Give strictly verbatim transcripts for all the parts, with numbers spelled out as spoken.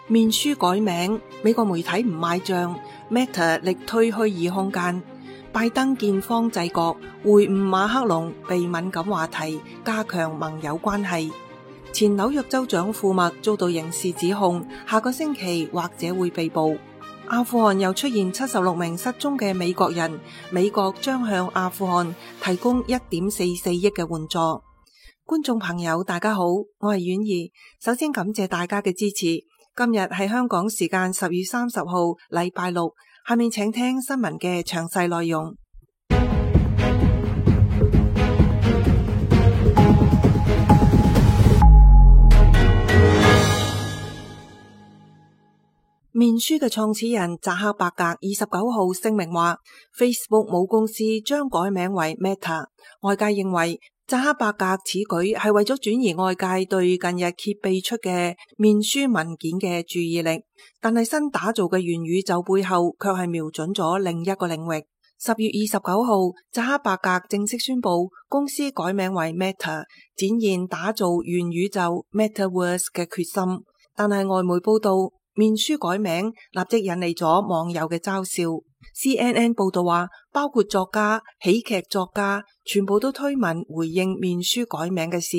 面書改名，美國媒體唔買賬 ，Meta 力推虛擬空間，拜登見方制國，會晤馬克龍避敏感話題，加強盟友關係。前紐約州長庫默遭到刑事指控，下個星期或者會被捕。阿富汗又出現七十六名失蹤嘅美國人，美國將向阿富汗提供一點四四億嘅援助。觀眾朋友大家好，我係婉兒，首先感謝大家嘅支持。今日係香港時間十月三十號禮拜六，下面請聽新聞嘅詳細內容。面書嘅創始人扎克伯格二十九號聲明話 ，Facebook 母公司將改名為 Meta。外界認為扎克伯格此舉係為咗轉移外界對近日揭秘出嘅面書文件嘅注意力，但係新打造嘅元宇宙背後卻係瞄準咗另一個領域。十月二十九號，扎克伯格正式宣布公司改名為 Meta， 展現打造元宇宙 Metaverse 嘅決心。但係外媒報道，面書改名立即引嚟咗網友嘅嘲笑。C N N 報道話，包括作家、喜劇作家，全部都推文回應面書改名嘅事，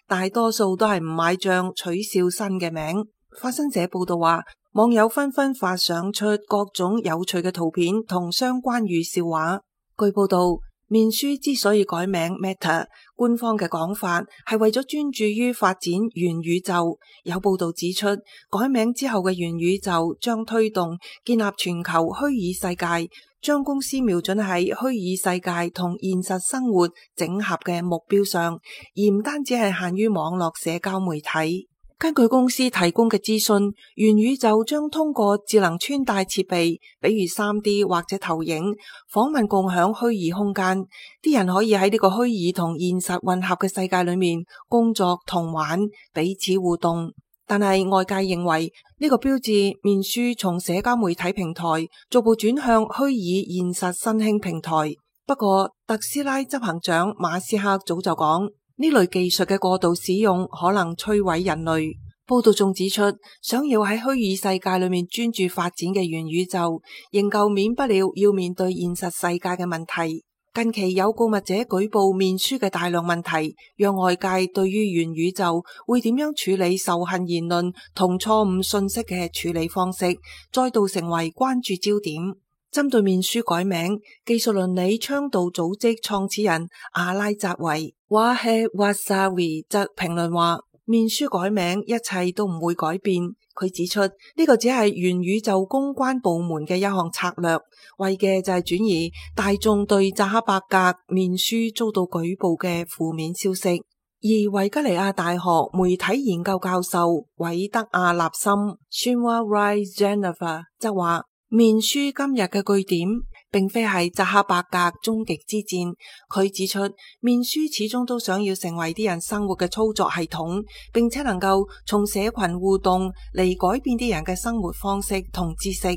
大多數都係唔買賬，取笑新嘅名。法新社報道話，網友紛紛發想出各種有趣嘅圖片同相關語笑話。據報道，面書之所以改名 Meta， 官方嘅講法係為咗專注於發展元宇宙。有報道指出，改名之後嘅元宇宙將推動建立全球虛擬世界，將公司瞄準喺虛擬世界同現實生活整合嘅目標上，而唔單止係限於網絡社交媒體。根據公司提供嘅資訊，元宇宙將通過智能穿戴設備，比如 三 D 或者投影、訪問共享虛擬空間，啲人可以喺呢個虛擬同現實混合嘅世界裏面工作同玩，彼此互動。但係外界認為呢個標誌面書從社交媒體平台逐步轉向虛擬現實新興平台。不過特斯拉執行長馬斯克早就講，呢類技術嘅過度使用可能摧毀人類。報道仲指出，想要喺虛擬世界裏面專注發展嘅元宇宙，仍舊免不了要面對現實世界嘅問題。近期有告密者舉報面書嘅大量問題，讓外界對於元宇宙會點樣處理仇恨言論同錯誤信息嘅處理方式，再度成為關注焦點。針對面書改名，技術倫理倡導組織創始人阿拉扎維 Wahed Wasawi 則評論話，面書改名一切都唔會改變。佢指出，呢個只係元宇宙公關部門嘅一項策略，為嘅就係轉移大眾對扎克伯格面書遭到舉報嘅負面消息。而維吉尼亞大學媒體研究教授韋德亞納森 Shinwa Rai Jennifer 則話，面書今日嘅據點並非係扎克伯格終極之戰。佢指出，面書始終都想要成為啲人生活嘅操作系統，並且能夠從社群互動嚟改變啲人嘅生活方式同知識。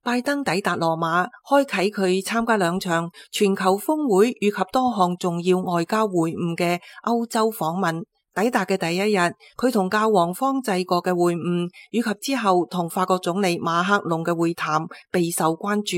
拜登抵達羅馬，開啟佢參加兩場全球峰會以及多項重要外交會晤嘅歐洲訪問。抵達嘅第一日，佢同教皇方濟各嘅會晤，以及之後同法國總理馬克龍嘅會談備受關注。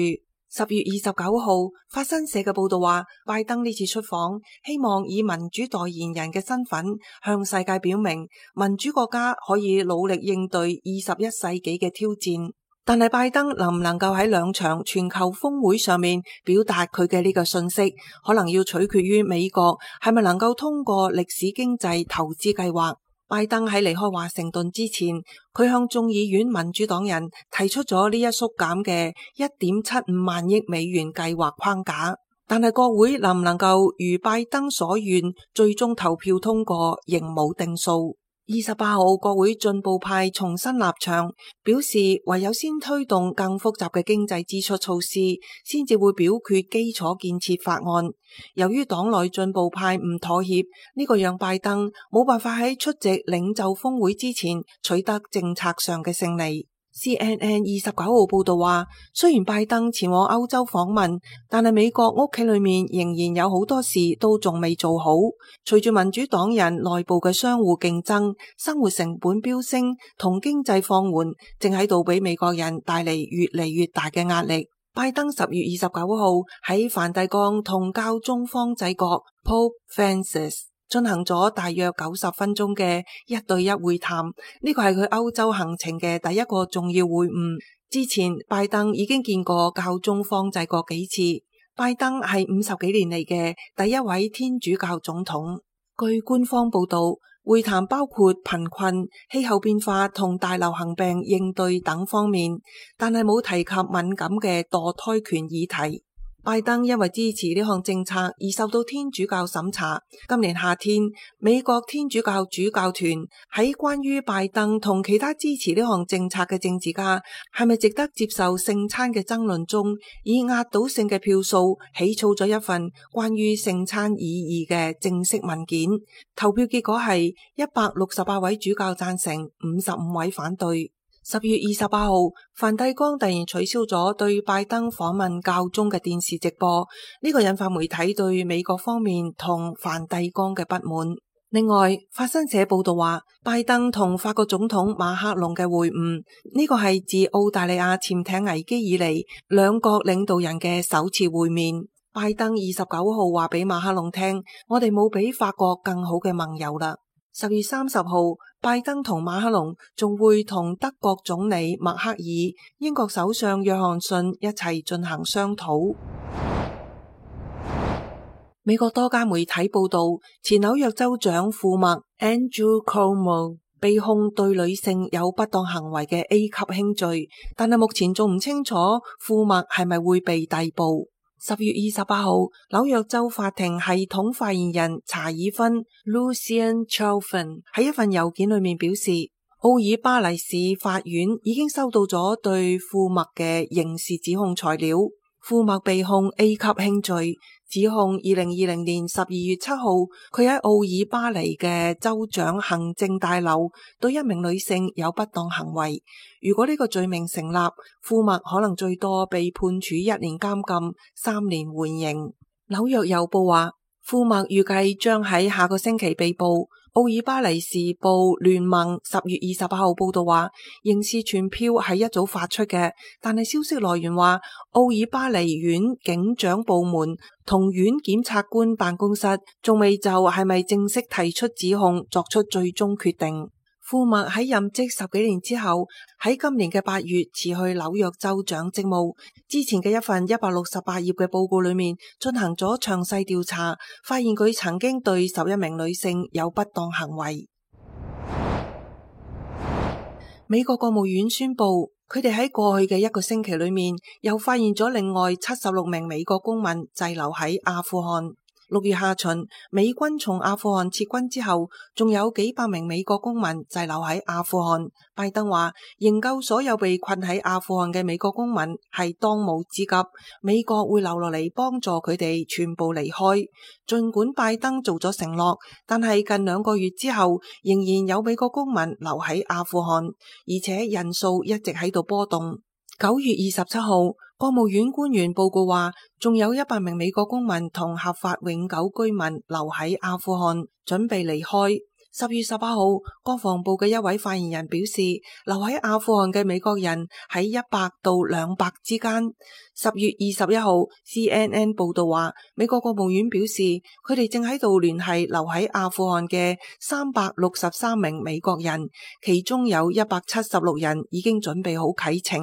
十月二十九號，法新社嘅報道話，拜登呢次出訪，希望以民主代言人嘅身份向世界表明，民主國家可以努力應對二十一世紀嘅挑戰。但係拜登能唔能夠喺兩場全球峰會上面表達佢嘅呢個信息，可能要取決於美國係咪能夠通過歷史經濟投資計劃。拜登喺離開華盛頓之前，佢向眾議院民主黨人提出咗呢一縮減嘅一點七五萬億美元計劃框架，但係國會能唔能夠如拜登所願最終投票通過，仍冇定數。二十八號，國會進步派重新立場，表示唯有先推動更複雜嘅經濟支出措施，先至會表決基礎建設法案。由於黨內進步派唔妥協，呢個讓拜登冇辦法喺出席領袖峰會之前取得政策上嘅勝利。C N N 二十九號報道話，雖然拜登前往歐洲訪問，但係美國屋企裏面仍然有好多事都仲未做好。隨住民主黨人內部嘅相互競爭、生活成本飆升同經濟放緩，正喺度俾美國人帶嚟越嚟越大嘅壓力。拜登十月二十九號喺梵蒂岡同教宗方濟各 Pope Francis 進行咗大約九十分鐘嘅一對一會談，呢個係佢歐洲行程嘅第一個重要會晤。之前拜登已經見過教宗方濟各幾次。拜登係五十幾年嚟嘅第一位天主教總統。據官方報道，會談包括貧困、氣候變化同大流行病應對等方面，但係冇提及敏感嘅墮胎權議題。拜登因為支持呢項政策而受到天主教審查。今年夏天，美國天主教主教團喺關於拜登同其他支持呢項政策嘅政治家係咪值得接受聖餐嘅爭論中，以壓倒性嘅票數起草咗一份關於聖餐意義嘅正式文件。投票結果係一百六十八位主教贊成，五十五位反對。十月二十八號，梵蒂岡突然取消咗對拜登訪問教宗嘅電視直播，呢個引發媒體對美國方面同梵蒂岡嘅不滿。另外，法新社報道話，拜登同法國總統馬克龍嘅會晤，呢個係自澳大利亞潛艇危機以嚟兩國領導人嘅首次會面。拜登二十九號話俾馬克龍聽，我哋冇比法國更好嘅盟友啦。十月三十號，拜登同馬克龍仲會同德國總理默克爾、英國首相約翰遜一齊進行商討。美國多家媒體報道，前紐約州長庫默 Andrew Cuomo 被控對女性有不當行為嘅 A 級輕罪，但係目前仲唔清楚庫默係咪會被逮捕。十月二十八號，紐約州法庭系統發言人查爾芬 Lucian Chalfant 喺一份郵件裏面表示，奧爾巴尼市法院已經收到咗對庫默嘅刑事指控材料。庫默被控 A 級輕罪，指控二零二零年十二月七號，佢喺奧爾巴尼嘅州長行政大樓對一名女性有不當行為。如果呢個罪名成立，庫默可能最多被判處一年監禁、三年緩刑。紐約郵報話，庫默預計將喺下個星期被捕。奧爾巴尼時報聯盟十月二十八號報道話，刑事傳票係一早發出嘅，但係消息來源話，奧爾巴尼縣警長部門同縣檢察官辦公室仲未就係咪正式提出指控作出最終決定。庫默喺任職十幾年之後，喺今年嘅八月辭去紐約州長職務。之前嘅一份一百六十八頁嘅報告裏面進行咗詳細調查，發現佢曾經對十一名女性有不當行為。美國國務院宣布，佢哋喺過去嘅一個星期裏面又發現咗另外七十六名美國公民滯留喺阿富汗。六月下旬，美軍從阿富汗撤軍之後，仲有幾百名美國公民滯留喺阿富汗。拜登話，營救所有被困喺阿富汗嘅美國公民係當務之急，美國會留落嚟幫助佢哋全部離開。儘管拜登做咗承諾，但係近兩個月之後，仍然有美國公民留喺阿富汗，而且人數一直喺度波動。九月二十七號，國務院官員報告話，仲有一百名美國公民同合法永久居民留喺阿富汗，準備離開。十月十八號，國防部嘅一位發言人表示，留喺阿富汗嘅美國人喺一百到兩百之間。十月二十一號 C N N 報道話，美國國務院表示，佢哋正喺度聯繫留喺阿富汗嘅三百六十三名美國人，其中有一百七十六人已經準備好啟程。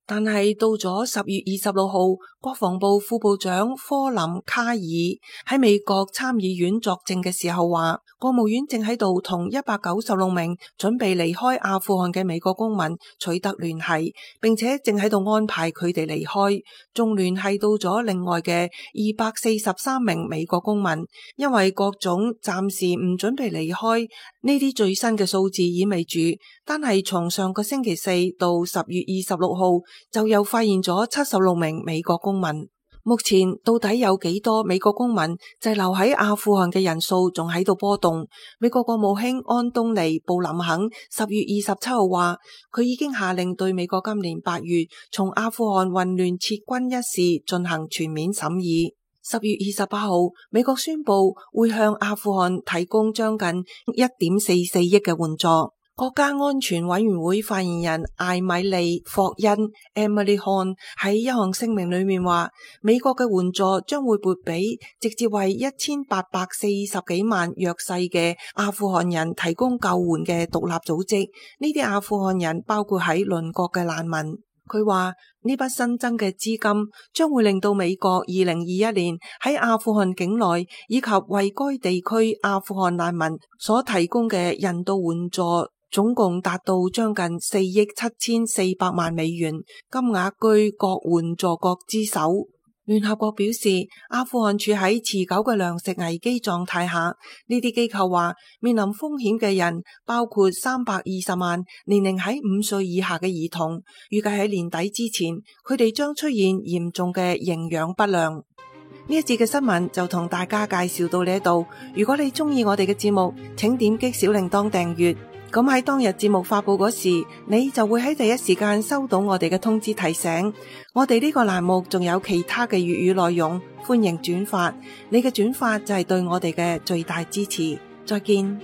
但係到咗十月二十六號，國防部副部長科林卡爾喺美國參議院作證嘅時候話，國務院正喺度同一百九十六名準備離開阿富汗嘅美國公民取得聯繫，並且正喺度安排佢哋離開，仲聯繫到咗另外嘅二百四十三名美國公民。因為各種暫時唔準備離開，呢啲最新嘅數字意味住，單係從上個星期四到十月二十六號，就又發現咗七十六名美國公民。目前到底有幾多美國公民滯留喺阿富汗嘅人數仲喺度波動。美國國務卿安東尼布林肯十月二十七號話，佢已經下令對美國今年八月從阿富汗混亂撤軍一事進行全面審議。十月二十八號，美國宣布會向阿富汗提供將近一點四四億嘅援助。國家安全委員會發言人艾米利霍恩 Emily Horn 喺一項聲明裏面話，美國嘅援助將會撥俾直接為一千八百四十幾萬弱勢嘅阿富汗人提供救援嘅獨立組織。呢啲阿富汗人包括喺鄰國嘅難民。佢話呢筆新增嘅資金將會令到美國二零二一年喺阿富汗境內以及為該地區阿富汗難民所提供嘅人道援助總共達到將近四億七千四百萬美元，金額居各援助國之首。聯合國表示，阿富汗處喺持久嘅糧食危機狀態下，呢啲機構話面臨風險嘅人包括三百二十萬年齡喺五歲以下嘅兒童，預計喺年底之前，佢哋將出現嚴重嘅營養不良。呢一節嘅新聞就同大家介紹到呢度。如果你中意我哋嘅節目，請點擊小鈴鐺訂閱。咁喺當日節目發佈嗰時，你就會喺第一時間收到我哋嘅通知提醒。我哋呢個欄目仲有其他嘅粵語內容，歡迎轉發。你嘅轉發就係對我哋嘅最大支持。再見。